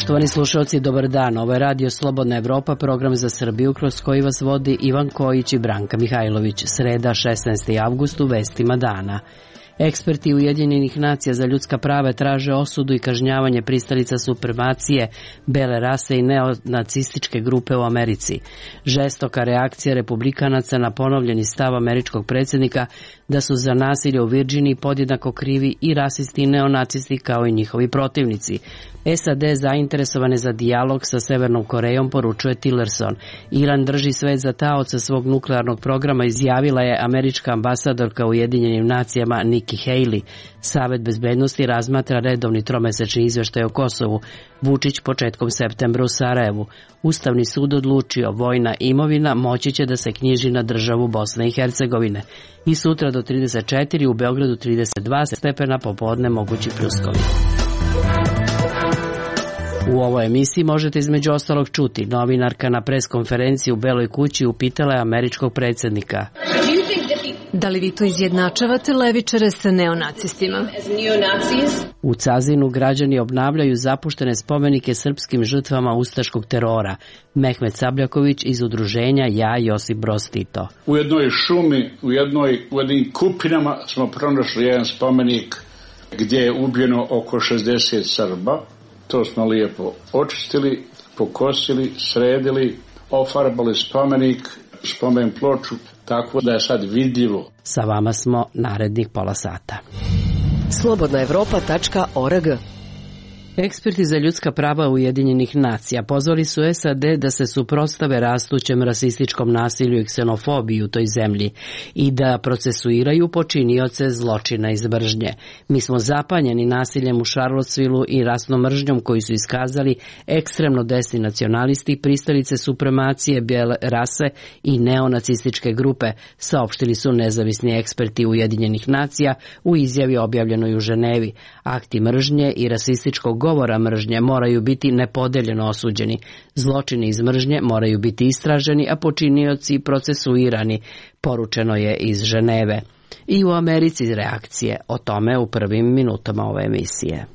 Poštovani slušalci, dobar dan. Ovo je Radio Slobodna Evropa, program za Srbiju kroz koji vas vodi Ivan Kojić i Branka Mihajlović. Sreda, 16. avgust, u vestima dana. Eksperti Ujedinjenih nacija za ljudska prava traže osudu i kažnjavanje pristalica supremacije, bele rase i neonacističke grupe u Americi. Žestoka reakcija republikanaca na ponovljeni stav američkog predsjednika da su za nasilje u Virdžiniji podjednako krivi i rasisti i neonacisti kao i njihovi protivnici. SAD zainteresovane za dijalog sa Severnom Korejom, poručuje Tillerson. Iran drži svet za taoca svog nuklearnog programa, izjavila je američka ambasadorka u Ujedinjenim nacijama Nikki Haley. Savet bezbednosti razmatra redovni tromesečni izveštaj o Kosovu. Vučić početkom septembra u Sarajevu. Ustavni sud odlučio, vojna imovina moći će da se knjiži na državu Bosne i Hercegovine. I sutra do 34, u Beogradu 32 stepena, popodne mogući pljuskovi. U ovoj emisiji možete između ostalog čuti: novinarka na preskonferenciji u Beloj kući upitala je američkog predsjednika: da li vi to izjednačavate levičare sa neonacistima? U Cazinu građani obnavljaju zapuštene spomenike srpskim žrtvama ustaškog terora. Mehmet Sabljaković iz udruženja Ja Josip Broz Tito. U jednoj šumi, u jednim kupinama smo pronašli jedan spomenik gdje je ubijeno oko 60 Srba. To smo lijepo očistili, pokosili, sredili, ofarbali spomen ploču, tako da je sad vidljivo. Sa vama smo narednih pola sata. slobodnaevropa.org. Eksperti za ljudska prava Ujedinjenih nacija pozvali su SAD da se suprotstave rastućem rasističkom nasilju i ksenofobiji u toj zemlji i da procesuiraju počinioce zločina iz mržnje. Mi smo zapanjeni nasiljem u Charlottesvilleu i rasnom mržnjom koji su iskazali ekstremno desni nacionalisti, pristalice supremacije, bijele rase i neonacističke grupe, saopštili su nezavisni eksperti Ujedinjenih nacija u izjavi objavljenoj u Ženevi. Akti mržnje i rasističkog govora mržnje moraju biti nepodeljeno osuđeni. Zločini iz mržnje moraju biti istraženi, a počinioci procesuirani, poručeno je iz Ženeve. I u Americi reakcije, o tome u prvim minutama ove emisije.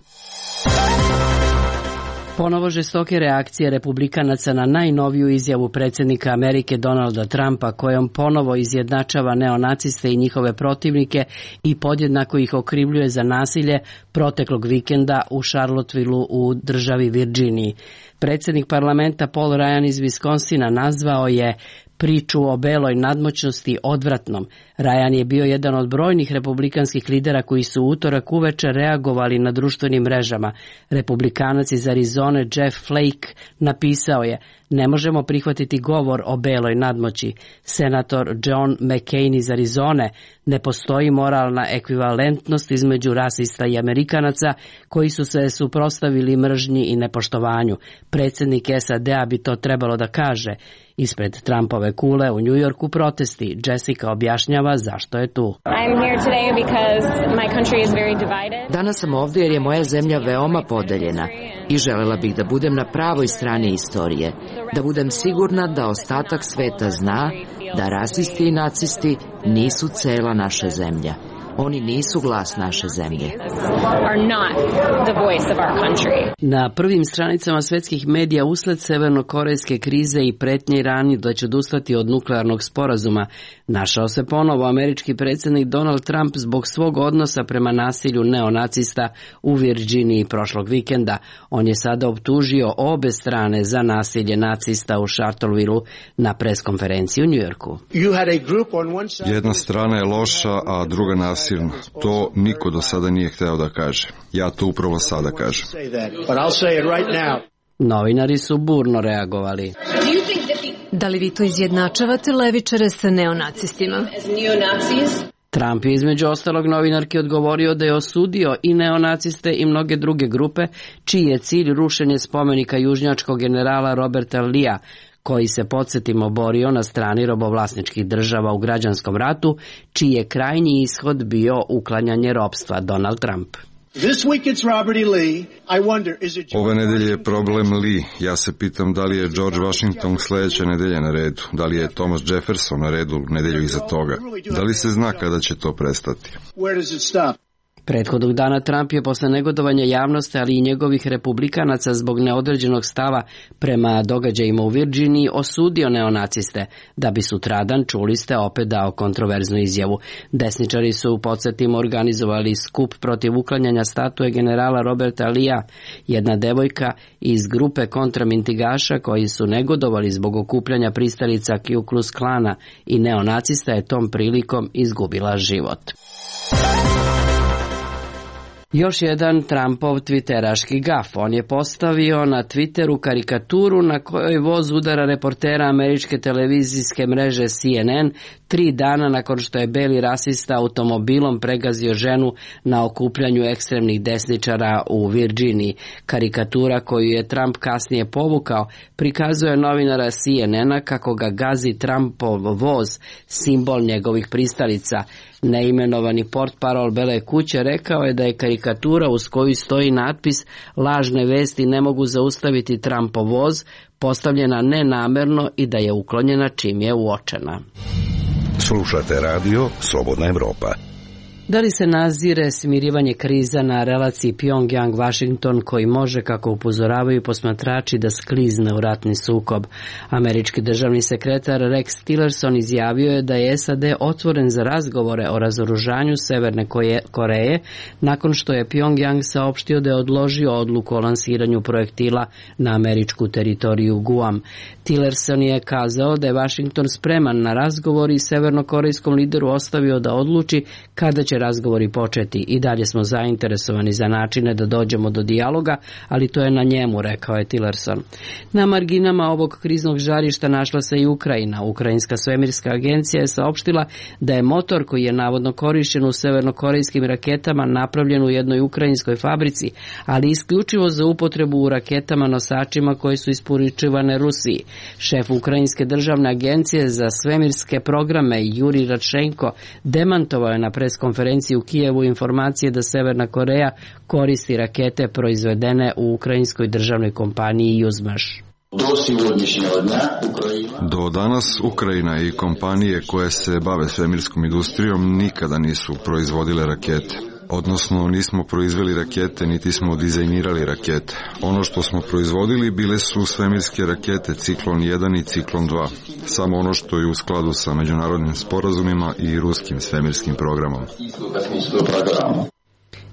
Ponovo žestoke reakcije republikanaca na najnoviju izjavu predsjednika Amerike Donalda Trumpa, kojom ponovo izjednačava neonaciste i njihove protivnike i podjednako ih okrivljuje za nasilje proteklog vikenda u Charlottesvilleu u državi Virdžiniji. Predsjednik parlamenta Paul Ryan iz Wisconsina nazvao je priču o beloj nadmoćnosti odvratnom. Ryan je bio jedan od brojnih republikanskih lidera koji su utorak uveče reagovali na društvenim mrežama. Republikanac iz Arizone Jeff Flake napisao je: ne možemo prihvatiti govor o beloj nadmoći. Senator John McCain iz Arizone: ne postoji moralna ekvivalentnost između rasista i Amerikanaca koji su se suprotstavili mržnji i nepoštovanju. Predsjednik SAD-a bi to trebalo da kaže. Ispred Trumpove kule u Njujorku protesti. Jessica objašnjava zašto je tu. Danas sam ovdje jer je moja zemlja veoma podeljena i želela bih da budem na pravoj strani istorije, da budem sigurna da ostatak sveta zna da rasisti i nacisti nisu cela naša zemlja. Oni nisu glas naše zemlje. Na prvim stranicama svetskih medija usled severnokorejske krize i pretnje Iranu da će odustati od nuklearnog sporazuma, našao se ponovo američki predsjednik Donald Trump zbog svog odnosa prema nasilju neonacista u Virdžiniji prošlog vikenda. On je sada optužio obe strane za nasilje nacista u Charlottesvilleu na preskonferenciji u Njujorku. Jedna strana je loša, a druga nasilna. To niko do sada nije hteo da kaže. Ja to upravo sada kažem. Novinari su burno reagovali. Da li vi to izjednačavate levičare sa neonacistima? Trump je između ostalog novinarki odgovorio da je osudio i neonaciste i mnoge druge grupe, čiji je cilj rušenje spomenika južnjačkog generala Roberta Lea, koji se, podsjetimo, borio na strani robovlasničkih država u građanskom ratu, čiji je krajnji ishod bio uklanjanje ropstva. Donald Trump. Ove nedelje je problem Lee. Ja se pitam da li je George Washington sljedeće nedelje na redu, da li je Thomas Jefferson na redu nedelju iza toga. Da li se zna kada će to prestati? Prethodnog dana Trump je posle negodovanja javnosti, ali i njegovih republikanaca zbog neodređenog stava prema događajima u Virginiji osudio neonaciste, da bi sutradan, čuli ste, opet dao kontroverznu izjavu. Desničari su, podsjetimo, organizovali skup protiv uklanjanja statue generala Roberta Leea. Jedna devojka iz grupe kontramintigaša koji su negodovali zbog okupljanja pristalica Ku Klux Klana i neonacista je tom prilikom izgubila život. Još jedan Trumpov twitteraški gaf. On je postavio na Twitteru karikaturu na kojoj voz udara reportera američke televizijske mreže CNN 3 dana nakon što je beli rasista automobilom pregazio ženu na okupljanju ekstremnih desničara u Virginiji. Karikatura koju je Trump kasnije povukao prikazuje novinara CNN-a kako ga gazi Trumpov voz, simbol njegovih pristalica. Neimenovani portparol Bele kuće rekao je da je karikatura uz koju stoji natpis "Lažne vesti ne mogu zaustaviti Trumpov voz" postavljena nenamerno i da je uklonjena čim je uočena. Slušate radio Slobodna Evropa. Da li se nazire smirivanje kriza na relaciji Pyongyang-Washington koji može, kako upozoravaju posmatrači, da sklizne u ratni sukob? Američki državni sekretar Rex Tillerson izjavio je da je SAD otvoren za razgovore o razoružanju Severne Koreje nakon što je Pyongyang saopštio da je odložio odluku o lansiranju projektila na američku teritoriju Guam. Tillerson je kazao da je Washington spreman na razgovor i severnokorejskom lideru ostavio da odluči kada će razgovori početi. I dalje smo zainteresovani za načine da dođemo do dijaloga, ali to je na njemu, rekao je Tillerson. Na marginama ovog kriznog žarišta našla se i Ukrajina. Ukrajinska svemirska agencija je saopštila da je motor koji je navodno korišćen u severnokorejskim raketama napravljen u jednoj ukrajinskoj fabrici, ali isključivo za upotrebu u raketama nosačima koje su isporučivane Rusiji. Šef Ukrajinske državne agencije za svemirske programe Juri Radšenko demantovao je na preskonferenciji u Kijevu informacije da Severna Koreja koristi rakete proizvedene u ukrajinskoj državnoj kompaniji Juzmaš. Do danas Ukrajina i kompanije koje se bave svemirskom industrijom nikada nisu proizvodile rakete. Odnosno, nismo proizveli rakete, niti smo dizajnirali rakete. Ono što smo proizvodili bile su svemirske rakete Ciklon 1 i Ciklon 2. Samo ono što je u skladu sa međunarodnim sporazumima i ruskim svemirskim programom.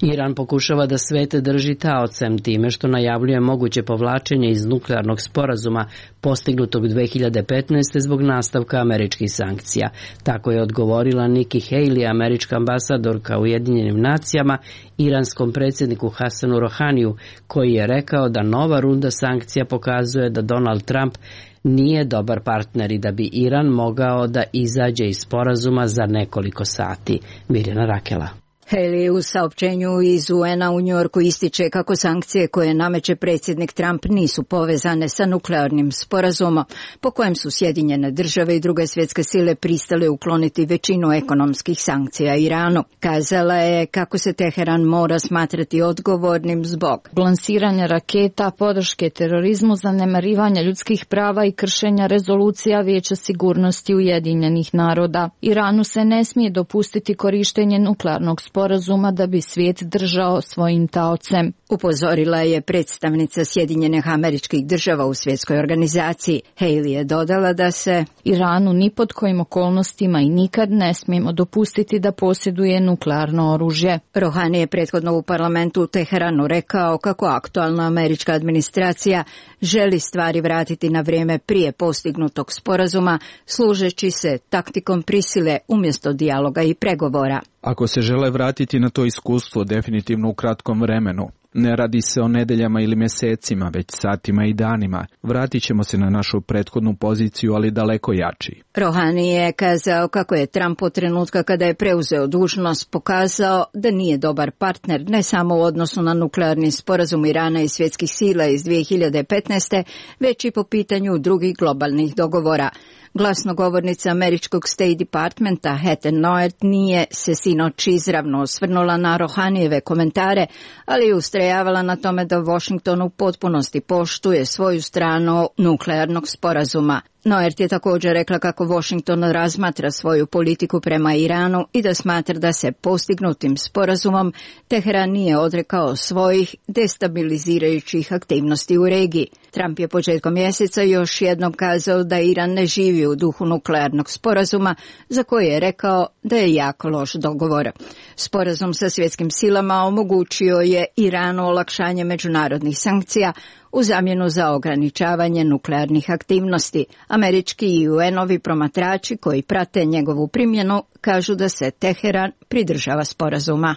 Iran pokušava da svete drži taocem time što najavljuje moguće povlačenje iz nuklearnog sporazuma postignutog 2015. zbog nastavka američkih sankcija. Tako je odgovorila Nikki Haley, američka ambasadorka u Ujedinjenim nacijama, iranskom predsjedniku Hasanu Rohaniju, koji je rekao da nova runda sankcija pokazuje da Donald Trump nije dobar partner i da bi Iran mogao da izađe iz sporazuma za nekoliko sati. Mirjana Rakela. Haley u saopćenju iz UN-a u Njujorku ističe kako sankcije koje nameće predsjednik Trump nisu povezane sa nuklearnim sporazumom, po kojem su Sjedinjene države i druge svjetske sile pristale ukloniti većinu ekonomskih sankcija Iranu. Kazala je kako se Teheran mora smatrati odgovornim zbog lansiranja raketa, podrške terorizmu, zanemarivanja ljudskih prava i kršenja rezolucija Vijeća sigurnosti Ujedinjenih naroda. Iranu se ne smije dopustiti korištenje nuklearnog sporazuma da bi svijet držao svojim taocem. Upozorila je predstavnica Sjedinjenih Američkih Država u svjetskoj organizaciji. Haley je dodala da se Iranu ni pod kojim okolnostima i nikad ne smijemo dopustiti da posjeduje nuklearno oružje. Rohani je prethodno u parlamentu u Teheranu rekao kako aktualna američka administracija želi stvari vratiti na vrijeme prije postignutog sporazuma, služeći se taktikom prisile umjesto dijaloga i pregovora. Ako se žele vratiti na to iskustvo definitivno u kratkom vremenu, ne radi se o nedeljama ili mjesecima, već satima i danima. Vratit ćemo se na našu prethodnu poziciju, ali daleko jači. Rohani je kazao kako je Trump od trenutka kada je preuzeo dužnost pokazao da nije dobar partner ne samo u odnosu na nuklearni sporazum Irana i svjetskih sila iz 2015. već i po pitanju drugih globalnih dogovora. Glasnogovornica američkog State Departmenta Heather Nauert nije se sinoć izravno osvrnula na Rohanijeve komentare, ali je ustrajavala na tome da Washington u potpunosti poštuje svoju stranu nuklearnog sporazuma. Noert je također rekla kako Washington razmatra svoju politiku prema Iranu i da smatra da se postignutim sporazumom Teheran nije odrekao svojih destabilizirajućih aktivnosti u regiji. Trump je početkom mjeseca još jednom kazao da Iran ne živi u duhu nuklearnog sporazuma, za koji je rekao da je jako loš dogovor. Sporazum sa svjetskim silama omogućio je Iranu olakšanje međunarodnih sankcija u zamjenu za ograničavanje nuklearnih aktivnosti. Američki i UN-ovi promatrači koji prate njegovu primjenu kažu da se Teheran pridržava sporazuma.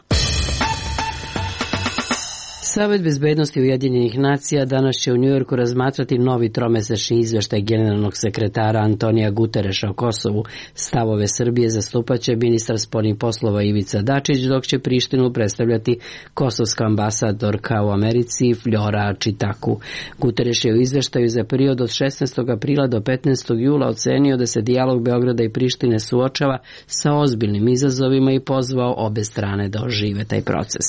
Savet bezbednosti Ujedinjenih nacija danas će u Njujorku razmatrati novi tromesečni izvještaj generalnog sekretara Antonija Gutereša o Kosovu. Stavove Srbije zastupaće ministar spoljnih poslova Ivica Dačić, dok će Prištinu predstavljati kosovska ambasadorka u Americi Fljora Čitaku. Gutereš je u izvještaju za period od 16. aprila do 15. jula ocenio da se dijalog Beograda i Prištine suočava sa ozbiljnim izazovima i pozvao obe strane da ožive taj proces.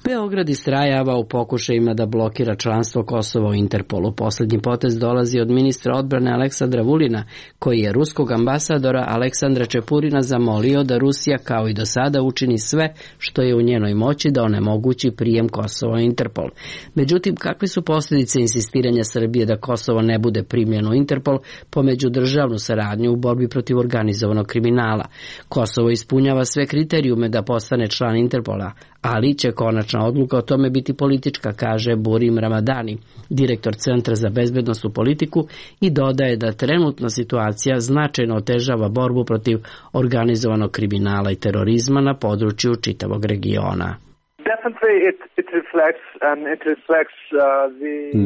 Beograd istrajava u pokušajima da blokira članstvo Kosova u Interpolu. Posljednji potez dolazi od ministra odbrane Aleksandra Vulina, koji je ruskog ambasadora Aleksandra Čepurina zamolio da Rusija kao i do sada učini sve što je u njenoj moći da onemogući prijem Kosova u Interpol. Međutim, kakve su posljedice insistiranja Srbije da Kosovo ne bude primljeno u Interpol po međudržavnu saradnju u borbi protiv organizovanog kriminala? Kosovo ispunjava sve kriterijume da postane član Interpola, ali će konačna odluka o tome biti politička, kaže Burim Ramadani, direktor Centra za bezbednosnu politiku, i dodaje da trenutna situacija značajno otežava borbu protiv organizovanog kriminala i terorizma na području čitavog regiona.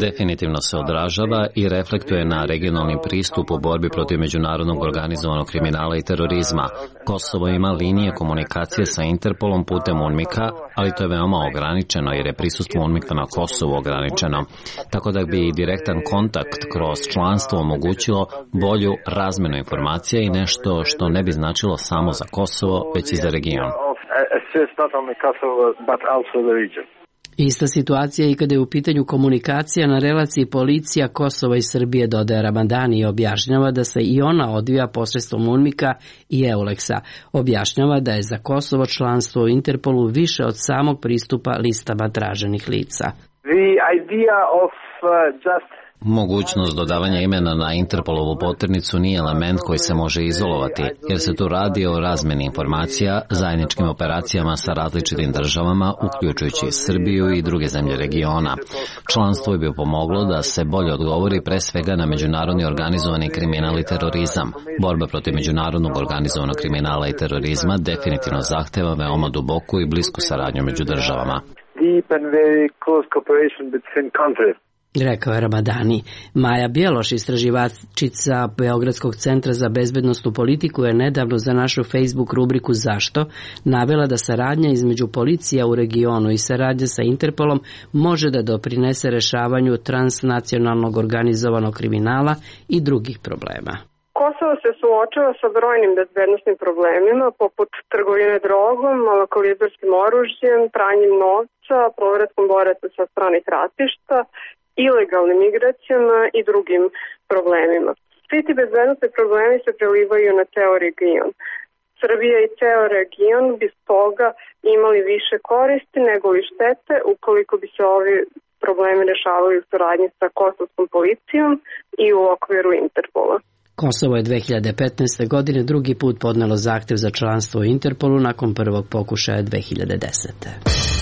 Definitivno se odražava i reflektuje na regionalni pristup u borbi protiv međunarodnog organizovanog kriminala i terorizma. Kosovo ima linije komunikacije sa Interpolom putem UNMIK-a, ali to je veoma ograničeno jer je prisustvo UNMIK-a na Kosovu ograničeno. Tako da bi direktan kontakt kroz članstvo omogućilo bolju razmenu informacija i nešto što ne bi značilo samo za Kosovo, već i za region. Ista situacija i kada je u pitanju komunikacija na relaciji policija Kosova i Srbije, dodaje Ramadani i objašnjava da se i ona odvija posredstvom UNMIK-a i EULEX-a. Objašnjava da je za Kosovo članstvo u Interpolu više od samog pristupa listama traženih lica. Mogućnost dodavanja imena na Interpolovu poternicu nije element koji se može izolovati, jer se tu radi o razmeni informacija, zajedničkim operacijama sa različitim državama, uključujući Srbiju i druge zemlje regiona. Članstvo bi pomoglo da se bolje odgovori pre svega na međunarodni organizovani kriminal i terorizam. Borba protiv međunarodnog organizovanog kriminala i terorizma definitivno zahteva veoma duboku i blisku saradnju među državama. Rekao je Ramadani. Maja Bjeloš, istraživačica Beogradskog centra za bezbednosnu politiku, je nedavno za našu Facebook rubriku Zašto navela da saradnja između policija u regionu i saradnja sa Interpolom može da doprinese rešavanju transnacionalnog organizovanog kriminala i drugih problema. Kosovo se suočava sa brojnim bezbednosnim problemima poput trgovine drogom, malokalibarskim oružjem, pranjem novca, povratkom boraca sa stranih ratišta, ilegalnim migracijama i drugim problemima. Svi ti bezbednosni problemi se prelivaju na ceo region. Srbija i ceo region bi stoga imali više koristi nego li štete ukoliko bi se ovi problemi rešavali u saradnji sa kosovskom policijom i u okviru Interpola. Kosovo je 2015. godine drugi put podnelo zahtjev za članstvo u Interpolu nakon prvog pokušaja 2010.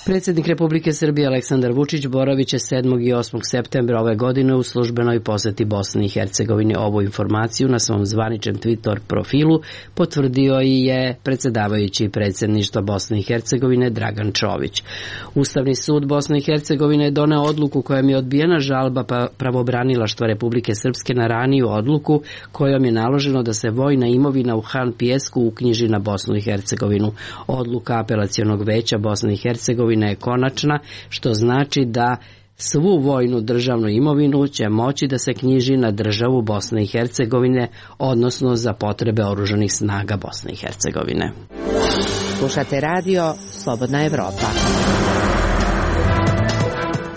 Predsjednik Republike Srbije Aleksandar Vučić boravit će 7. i 8. septembra ove godine u službenoj posjeti Bosni i Hercegovini. Ovu informaciju na svom zvaničnom Twitter profilu potvrdio i je predsjedavajući predsjedništva Bosne i Hercegovine Dragan Čović. Ustavni sud Bosne i Hercegovine je doneo odluku kojom je odbijena žalba pravobranilaštva Republike Srpske na raniju odluku kojom je naloženo da se vojna imovina u Han Pijesku uknjiži na Bosnu i Hercegovinu. Odluka apelacionog veća Bosne i Hercegovine je konačna, što znači da svu vojnu državnu imovinu će moći da se knjiži na državu Bosne i Hercegovine, odnosno za potrebe oružanih snaga Bosne i Hercegovine. Slušate radio Slobodna Evropa.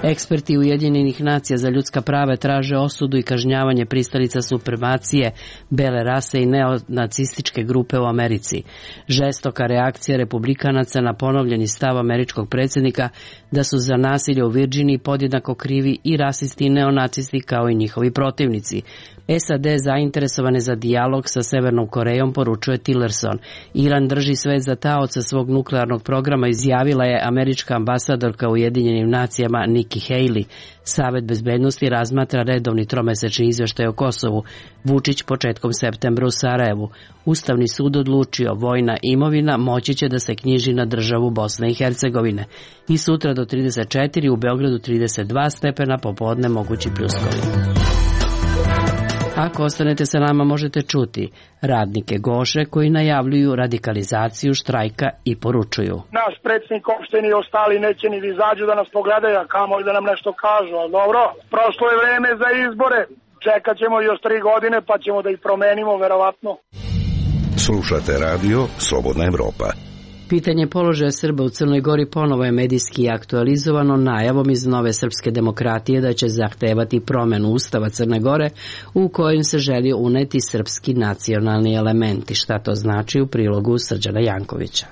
Eksperti Ujedinjenih nacija za ljudska prava traže osudu i kažnjavanje pristalica supremacije, bele rase i neonacističke grupe u Americi. Žestoka reakcija republikanaca na ponovljeni stav američkog predsjednika da su za nasilje u Virginiji podjednako krivi i rasisti i neonacisti kao i njihovi protivnici. SAD zainteresovane za dijalog sa Severnom Korejom, poručuje Tillerson. Iran drži svet za taoca svog nuklearnog programa, izjavila je američka ambasadorka u Ujedinjenim nacijama Nikki Haley. Savet bezbednosti razmatra redovni tromesečni izveštaj o Kosovu. Vučić početkom septembra u Sarajevu. Ustavni sud odlučio, vojna imovina moći će da se knjiži na državu Bosne i Hercegovine. I sutra do 34, u Beogradu 32 stepena, popodne mogući pljuskovi. Ako ostanete sa nama, možete čuti radnike Goše koji najavljuju radikalizaciju štrajka i poručuju: naš predsjednik opštine i ostali neće ni da izađu da nas pogledaju, a kamoli da nam nešto kažu, ali dobro, prošlo je vreme za izbore, čekat ćemo još 3 godine pa ćemo da ih promenimo, verovatno. Slušate radio Slobodna Evropa. Pitanje položaja Srba u Crnoj Gori ponovo je medijski aktualizovano najavom iz Nove srpske demokratije da će zahtevati promenu Ustava Crne Gore u kojem se želi uneti srpski nacionalni elementi. Šta to znači, u prilogu Srđana Jankovića.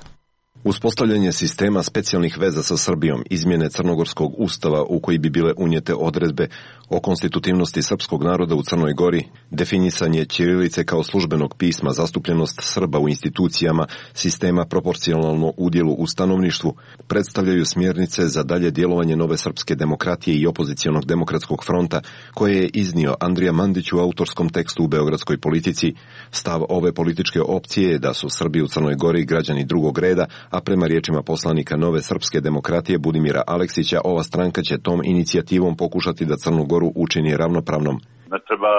Uspostavljanje sistema specijalnih veza sa Srbijom, izmjene crnogorskog ustava u koji bi bile unijete odredbe o konstitutivnosti srpskog naroda u Crnoj Gori, definisanje ćirilice kao službenog pisma, zastupljenost Srba u institucijama, sistema proporcionalno udjelu u stanovništvu, predstavljaju smjernice za dalje djelovanje Nove srpske demokratije i opozicionog demokratskog fronta, koje je iznio Andrija Mandić u autorskom tekstu u Beogradskoj politici. Stav ove političke opcije je da su Srbi u Crnoj Gori građani drugog reda, a prema riječima poslanika Nove srpske demokratije Budimira Aleksića, ova stranka će tom inicijativom pokušati da Crnu Goru učini ravnopravnom. Ne treba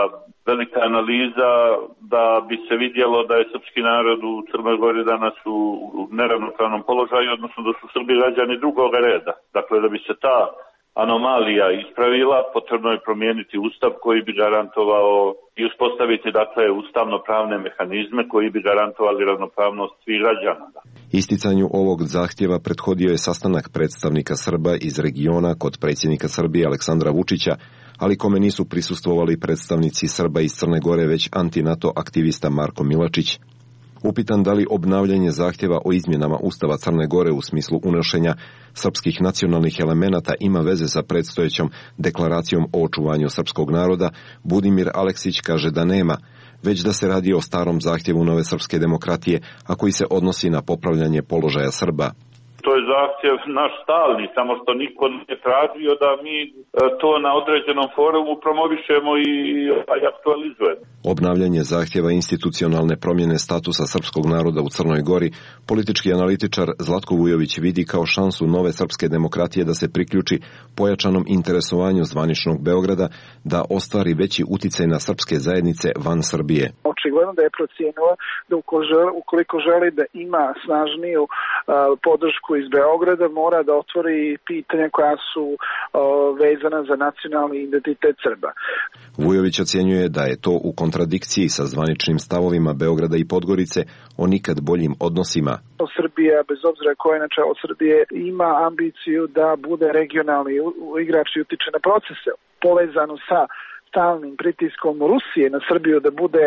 velika analiza da bi se vidjelo da je srpski narod u Crnoj Gori danas u neravnopravnom položaju, odnosno da su Srbi građani drugog reda. Dakle, da bi se ta anomalija ispravila, potrebno je promijeniti ustav koji bi garantovao i uspostaviti, dakle, ustavno-pravne mehanizme koji bi garantovali ravnopravnost svih građana. Isticanju ovog zahtjeva prethodio je sastanak predstavnika Srba iz regiona kod predsjednika Srbije Aleksandra Vučića, ali kome nisu prisustvovali predstavnici Srba iz Crne Gore, već anti-NATO aktivista Marko Milačić. Upitan da li obnavljanje zahtjeva o izmjenama Ustava Crne Gore u smislu unošenja srpskih nacionalnih elemenata ima veze sa predstojećom deklaracijom o očuvanju srpskog naroda, Budimir Aleksić kaže da nema, već da se radi o starom zahtjevu Nove srpske demokratije, a koji se odnosi na popravljanje položaja Srba. To je zahtjev naš stalni, samo što niko nije tražio da mi to na određenom forumu promovišemo i aktualizujemo. Obnavljanje zahtjeva institucionalne promjene statusa srpskog naroda u Crnoj Gori politički analitičar Zlatko Vujović vidi kao šansu Nove srpske demokratije da se priključi pojačanom interesovanju zvaničnog Beograda da ostvari veći uticaj na srpske zajednice van Srbije. Očigledno da je procijenila da ukoliko želi da ima snažniju podršku iz Beograda, mora da otvori pitanja koja su vezana za nacionalni identitet Srba. Vujović ocjenjuje da je to u kontradikciji sa zvaničnim stavovima Beograda i Podgorice o nikad boljim odnosima. Srbija, bez obzira koja je na čelu Srbije, ima ambiciju da bude regionalni igrač i utiče na procese, povezano sa stalnim pritiskom Rusije na Srbiju da bude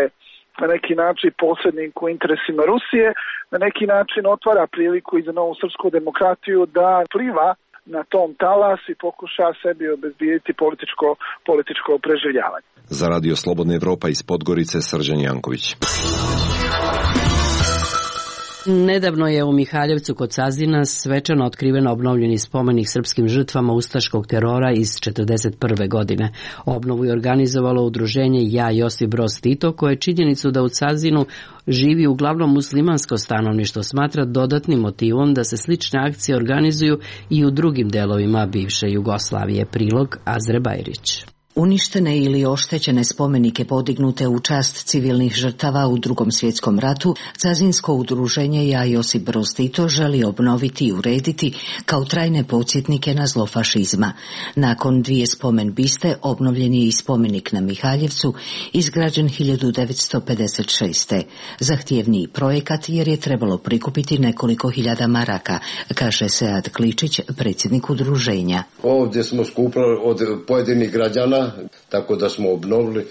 na neki način posrednik u interesima Rusije, na neki način otvara priliku i za Novu srpsku demokratiju da pliva na tom talas i pokuša sebi obezbijediti političko preživljavanje. Za Radio Slobodna Evropa iz Podgorice, Srđan Janković. Nedavno je u Mihaljevcu kod Sazina svečano otkriven obnovljeni spomenik srpskim žrtvama ustaškog terora iz 1941. godine. Obnovu je organizovalo udruženje Ja Josip Broz Tito, koje činjenicu da u Sazinu živi uglavnom muslimansko stanovništvo smatra dodatnim motivom da se slične akcije organizuju i u drugim delovima bivše Jugoslavije. Prilog Azre Bajrić. Uništene ili oštećene spomenike podignute u čast civilnih žrtava u Drugom svjetskom ratu, Cazinsko udruženje Ja Josip Broz Tito želi obnoviti i urediti kao trajne podsjetnike na zlo fašizma. Nakon 2 spomen biste obnovljen je i spomenik na Mihaljevcu, izgrađen 1956. Zahtjevniji projekat jer je trebalo prikupiti nekoliko hiljada maraka, kaže Sead Kličić, predsjednik udruženja. Ovdje smo skupili od pojedinih građana, tako da smo obnovili,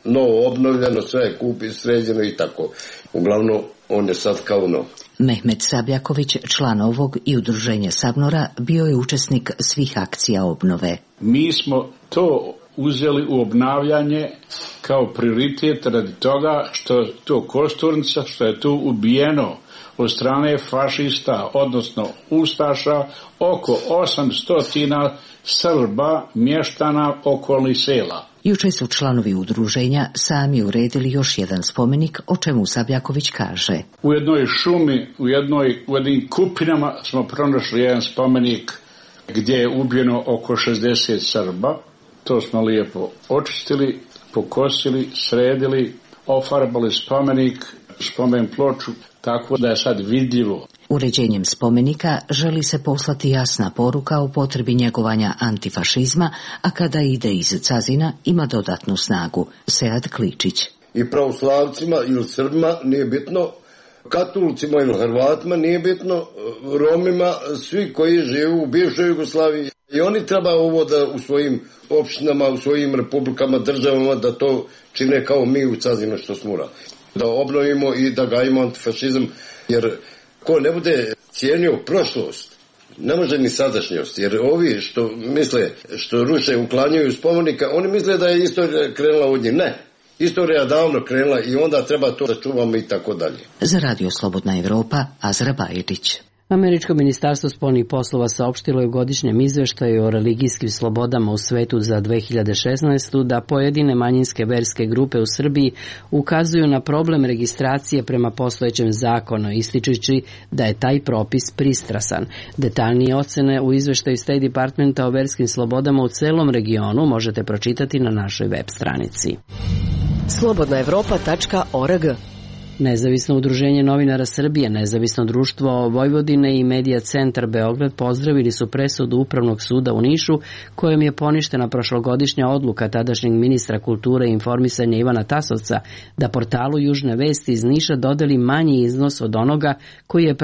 novo obnovljeno, sve je kupi, sređeno i tako. Uglavnom, on je sad kao nov. Mehmet Sabljaković, član ovog i udruženja Sabnora, bio je učesnik svih akcija obnove. Mi smo to uzeli u obnavljanje kao prioritet radi toga što je to Kosturnica, što je tu ubijeno od strane fašista, odnosno ustaša, oko 800 Srba, mještana okolnih sela. Juče su članovi udruženja sami uredili još jedan spomenik, o čemu Sabljaković kaže. U jednoj šumi, u jednim kupinama smo pronašli jedan spomenik gdje je ubijeno oko 60 Srba. To smo lijepo očistili, pokosili, sredili, ofarbali spomenik, spomen ploču, tako da je sad vidljivo. Uređenjem spomenika želi se poslati jasna poruka o potrebi njegovanja antifašizma, a kada ide iz Cazina ima dodatnu snagu. Sead Kličić. I pravoslavcima ili Srbima nije bitno, katolicima ili Hrvatima nije bitno, Romima, svi koji žive u bivšoj Jugoslaviji. I oni treba ovo da u svojim opštinama, u svojim republikama, državama da to čine kao mi u Cazinu što smo uradili. Da obnovimo i da gajimo antifašizam, jer ko ne bude cijenio prošlost, ne može ni sadašnjost, jer ovi što misle, što ruše, uklanjaju spomenika, oni misle da je istorija krenula od njih. Ne, istorija je davno krenula i onda treba to da čuvamo i tako dalje. Za Radio Slobodna Evropa, Azra Bajedić. Američko ministarstvo spoljnih poslova saopštilo je u godišnjem izveštaju o religijskim slobodama u svetu za 2016. da pojedine manjinske verske grupe u Srbiji ukazuju na problem registracije prema postojećem zakonu, ističući da je taj propis pristrasan. Detaljnije ocene u izveštaju State Departmenta o verskim slobodama u celom regionu možete pročitati na našoj web stranici. slobodnaevropa.org. Nezavisno udruženje novinara Srbije, Nezavisno društvo Vojvodine i Medija centar Beograd pozdravili su presudu Upravnog suda u Nišu kojom je poništena prošlogodišnja odluka tadašnjeg ministra kulture i informisanja Ivana Tasovca da portalu Južne vesti iz Niša dodeli manji iznos od onoga koji je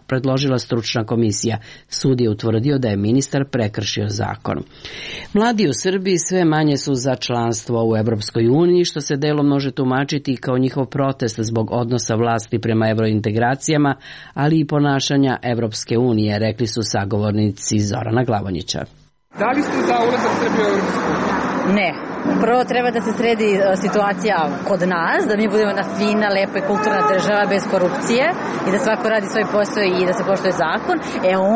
predložila stručna komisija. Sud je utvrdio da je ministar prekršio zakon. Mladi u Srbiji sve manje su za članstvo u Evropskoj uniji, što se delom može tumačiti kao njihov protest zbog odnosa vlasti prema evrointegracijama, ali i ponašanja Evropske unije, rekli su sagovornici Zorana Glavonjića. Da li ste za ulazak Srbije u Evropsku uniju? Ne. Prvo treba da se sredi situacija kod nas, da mi budemo jedna fina, lepa i kulturna država bez korupcije i da svako radi svoj posao i da se poštuje zakon,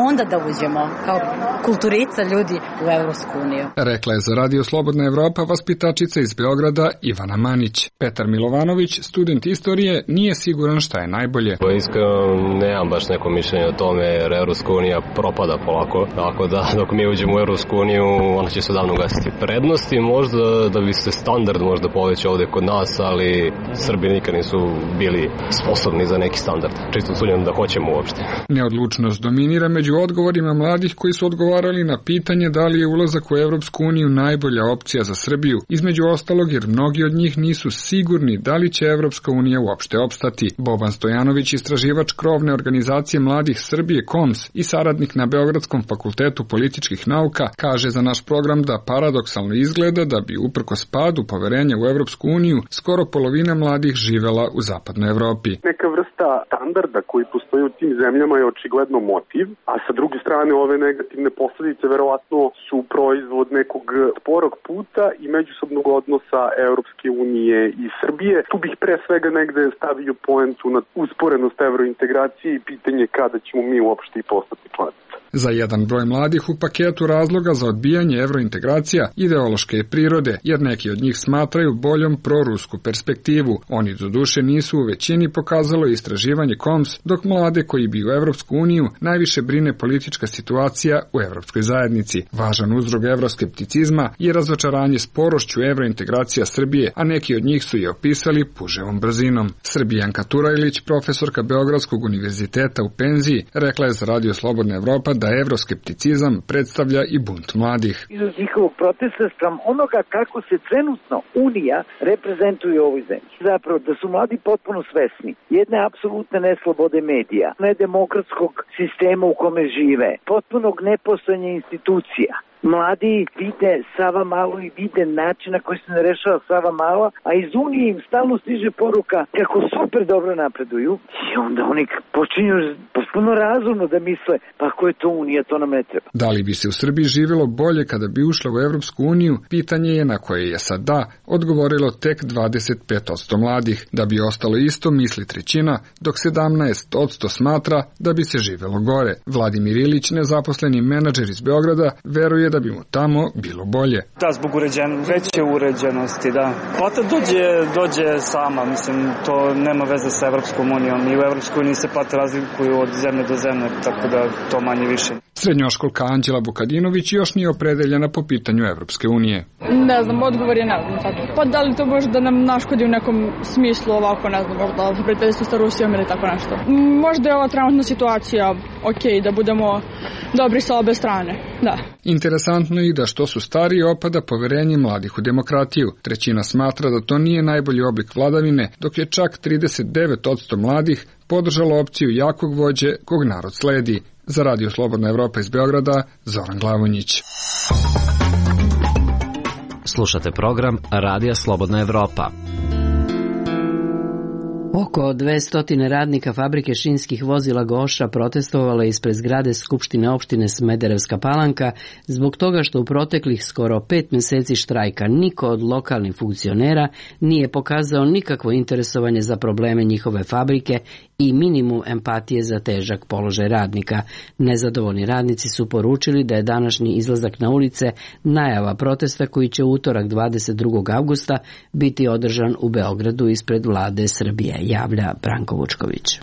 onda da uđemo kao kulturica ljudi u Evropsku uniju. Rekla je za Radio Slobodna Evropa vaspitačica iz Beograda Ivana Manić. Petar Milovanović, student istorije, nije siguran šta je najbolje. Iskreno nemam baš neko mišljenje o tome jer Evropska unija propada polako, tako da dok mi uđemo u Evropsku uniju ona će se davno ugasiti. Prednosti možda da bi se standard možda povećao ovdje kod nas, ali Srbi nikad nisu bili sposobni za neki standard. Čisto sumnjam da hoćemo uopšte. Neodlučnost dominira među odgovorima mladih koji su odgovarali na pitanje da li je ulazak u Evropsku uniju najbolja opcija za Srbiju, između ostalog jer mnogi od njih nisu sigurni da li će Evropska unija uopšte opstati. Boban Stojanović, istraživač krovne organizacije mladih Srbije KOMS i saradnik na Beogradskom fakultetu političkih nauka, kaže za naš program da paradoksalno izgleda da bi uprkos padu poverenja u Evropsku uniju skoro polovina mladih živela u zapadnoj Evropi. Neka vrsta standarda koji postoji u tim zemljama je očigledno motiv, a sa druge strane ove negativne posljedice verovatno su proizvod nekog sporog puta i međusobnog odnosa Evropske unije i Srbije. Tu bih pre svega negde stavio poentu na usporenost evrointegracije i pitanje kada ćemo mi uopšte i postati članica. Za jedan broj mladih u paketu razloga za odbijanje evrointegracija ideološke prirode, jer neki od njih smatraju boljom prorusku perspektivu. Oni doduše nisu u većini, pokazalo istraživanje KOMS, dok mlade koji bi u Evropsku uniju najviše brine politička situacija u Evropskoj zajednici. Važan uzrok evroskepticizma je razočaranje sporošću evrointegracija Srbije, a neki od njih su je opisali puževom brzinom. Srbijanka Turajlić, profesorka Beogradskog univerziteta u penziji, rekla je za Radio Slobodna Evropa da evroskepticizam predstavlja i bunt mladih. Izraz njihovog protesta spram onoga kako se trenutno Unija reprezentuje u ovoj zemlji. Zapravo da su mladi potpuno svesni jedne apsolutne neslobode medija, nedemokratskog sistema u kome žive, potpunog nepostojanja institucija. Mladi vide Savamalu i vide način na koji se ne rešava Savamala, a iz Unije im stalno stiže poruka kako super dobro napreduju i onda oni počinju potpuno razumno da misle pa ako je to Unija, to nam ne treba. Da li bi se u Srbiji živjelo bolje kada bi ušla u Evropsku uniju, pitanje je na koje je sad da odgovorilo tek 25% mladih. Da bi ostalo isto misli trećina, dok 17% smatra da bi se živjelo gore. Vladimir Ilić, nezaposleni menadžer iz Beograda, veruje da bi mu tamo bilo bolje. Da, zbog veće uređenosti, da. Plata dođe sama, mislim, to nema veze sa Evropskom unijom i u Evropskoj uniji se plate razlikuju od zemlje do zemlje, tako da to manje više. Srednjoškolka Anđela Vukadinović još nije opredeljena po pitanju Evropske unije. Ne znam, odgovor je ne znam. Pa da li to može da nam naškodi u nekom smislu ovako, ne znam, možda prijateljstvo sa Rusijom ili tako nešto. Možda je ova trenutna situacija okej, da budemo dobri sa obe strane, da. Interesantno je i da što su stariji opada poverenje mladih u demokratiju. Trećina smatra da to nije najbolji oblik vladavine, dok je čak 39% mladih podržalo opciju jakog vođe kog narod sledi. Za Radio Slobodna Evropa iz Beograda, Zoran Glavonjić. Slušate program Radija Slobodna Evropa. Oko 200 radnika fabrike šinskih vozila Goša protestovalo je ispred zgrade Skupštine opštine Smederevska Palanka zbog toga što u proteklih skoro 5 mjeseci štrajka niko od lokalnih funkcionera nije pokazao nikakvo interesovanje za probleme njihove fabrike i minimum empatije za težak položaj radnika. Nezadovoljni radnici su poručili da je današnji izlazak na ulice najava protesta koji će utorak 22. avgusta biti održan u Beogradu ispred vlade Srbije, javlja Branko Vučković.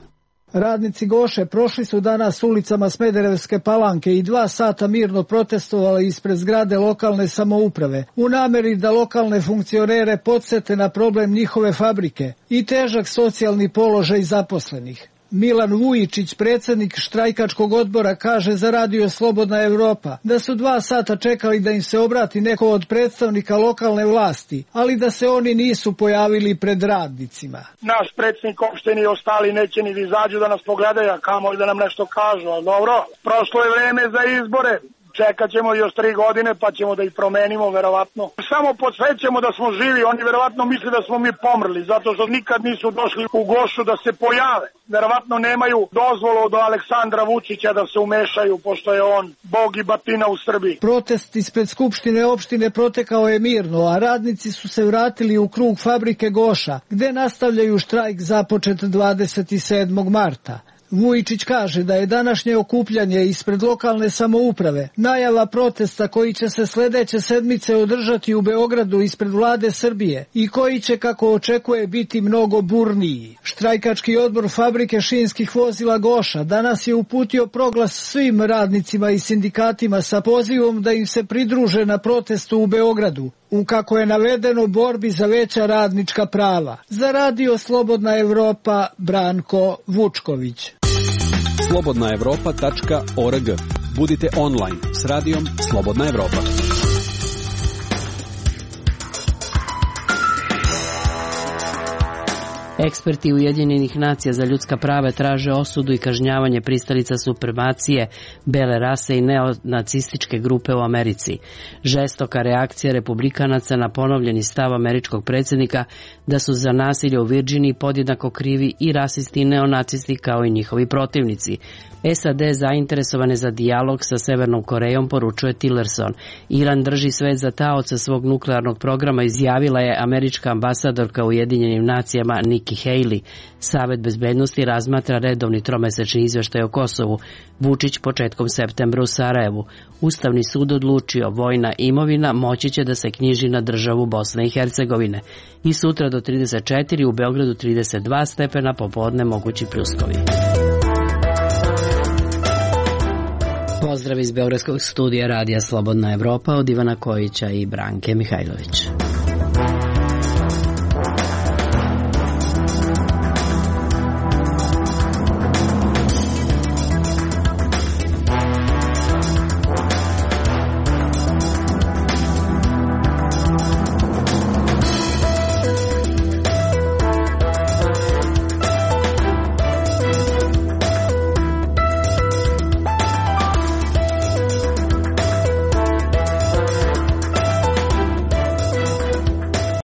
Radnici Goše prošli su danas ulicama Smederevske Palanke i 2 sata mirno protestovali ispred zgrade lokalne samouprave u nameri da lokalne funkcionere podsete na problem njihove fabrike i težak socijalni položaj zaposlenih. Milan Vujičić, predsjednik štrajkačkog odbora, kaže za Radio Slobodna Evropa da su 2 sata čekali da im se obrati neko od predstavnika lokalne vlasti, ali da se oni nisu pojavili pred radnicima. Naš predsjednik opštine i ostali neće ni da izađu da nas pogledaju, a kamoli da nam nešto kažu, ali dobro, prošlo je vreme za izbore. Čekat ćemo još 3 godine pa ćemo da ih promenimo, verovatno. Samo podsvećamo da smo živi, oni verovatno misle da smo mi pomrli, zato što nikad nisu došli u Gošu da se pojave. Verovatno nemaju dozvolu od Aleksandra Vučića da se umešaju, pošto je on bog i batina u Srbiji. Protest ispred Skupštine opštine protekao je mirno, a radnici su se vratili u krug fabrike Goša, gde nastavljaju štrajk započet 27. marta. Vujičić kaže da je današnje okupljanje ispred lokalne samouprave najava protesta koji će se sljedeće sedmice održati u Beogradu ispred vlade Srbije i koji će, kako očekuje, biti mnogo burniji. Štrajkački odbor fabrike šinskih vozila Goša danas je uputio proglas svim radnicima i sindikatima sa pozivom da im se pridruže na protestu u Beogradu, u, kako je navedeno, borbi za veća radnička prava. Za Radio Slobodna Evropa, Branko Vučković. slobodnaevropa.org. Budite online s radijom Slobodna Evropa. Eksperti Ujedinjenih nacija za ljudska prava traže osudu i kažnjavanje pristalica supremacije, bele rase i neonacističke grupe u Americi. Žestoka reakcija republikanaca na ponovljeni stav američkog predsjednika da su za nasilje u Virginiji podjednako krivi i rasisti i neonacisti kao i njihovi protivnici. SAD zainteresovane za dijalog sa Severnom Korejom, poručuje Tillerson. Iran drži svet za taoca svog nuklearnog programa, izjavila je američka ambasadorka u Ujedinjenim nacijama Nikki Nikki Haley. Savet bezbednosti razmatra redovni tromesečni izveštaj o Kosovu. Vučić početkom septembra u Sarajevu. Ustavni sud odlučio, vojna imovina moći će da se knjiži na državu Bosne i Hercegovine. I sutra do 34, u Beogradu 32 stepena, popodne mogući pljuskovi. Pozdrav iz Beogradskog studija Radija Slobodna Evropa od Ivana Kojića i Branke Mihajlović.